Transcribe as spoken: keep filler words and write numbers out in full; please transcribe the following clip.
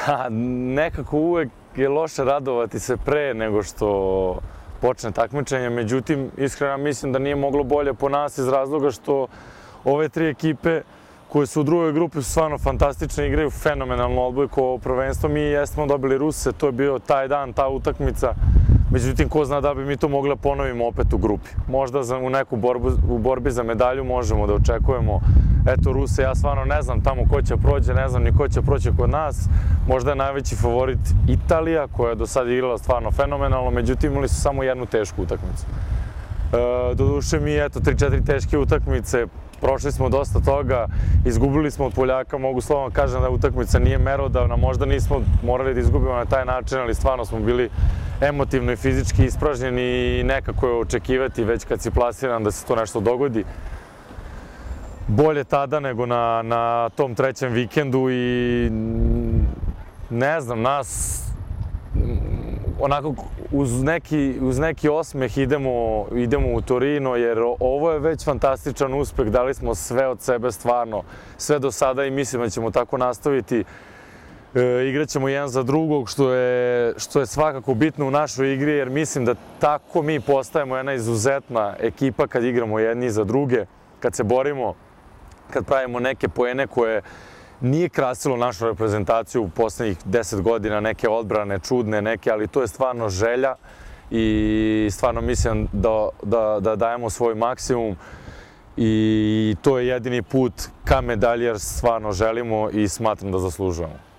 Pa nekako uvek je loše radovati se pre nego što počne takmičenje, međutim, iskreno mislim da nije moglo bolje po nas iz razloga što ove tri ekipe koje su u drugoj grupi su stvarno fantastične, igraju fenomenalno odbojku ovo prvenstvo. Mi jesmo dobili Ruse, to je bio taj dan, ta utakmica. Međutim, ko zna da bi mi to mogli da ponovimo opet u grupi. Možda u neku borbu, u borbi za medalju možemo da očekujemo. Eto, Ruse, ja stvarno ne znam tamo ko će prođe, ne znam ni ko će proći kod nas. Možda je najveći favorit Italija, koja je do sada igrala stvarno fenomenalno, međutim imali su samo jednu tešku utakmicu. E, doduše mi, eto, tri četiri teške utakmice, prošli smo dosta toga, izgubili smo od Poljaka, mogu slovno kažem da utakmica nije merodavna, možda nismo morali da izgubimo na taj način, ali stvarno smo bili emotivno i fizički ispražnjeni i nekako je očekivati već kad si plasiran da se to nešto dogodi. Bolje tada nego na, na tom trećem vikendu i ne znam, nas onako uz neki, uz neki osmeh idemo, idemo u Torino jer ovo je već fantastičan uspeh, dali smo sve od sebe stvarno, sve do sada i mislim da ćemo tako nastaviti. E, igraćemo jedan za drugog, što je, što je svakako bitno u našoj igri jer mislim da tako mi postajemo jedna izuzetna ekipa kad igramo jedni za druge, kad se borimo, kad pravimo neke poene koje nije krasilo našu reprezentaciju u poslednjih deset godina, neke odbrane čudne, neke, ali to je stvarno želja i stvarno mislim da, da, da dajemo svoj maksimum i to je jedini put ka medalji jer stvarno želimo i smatram da zaslužujemo.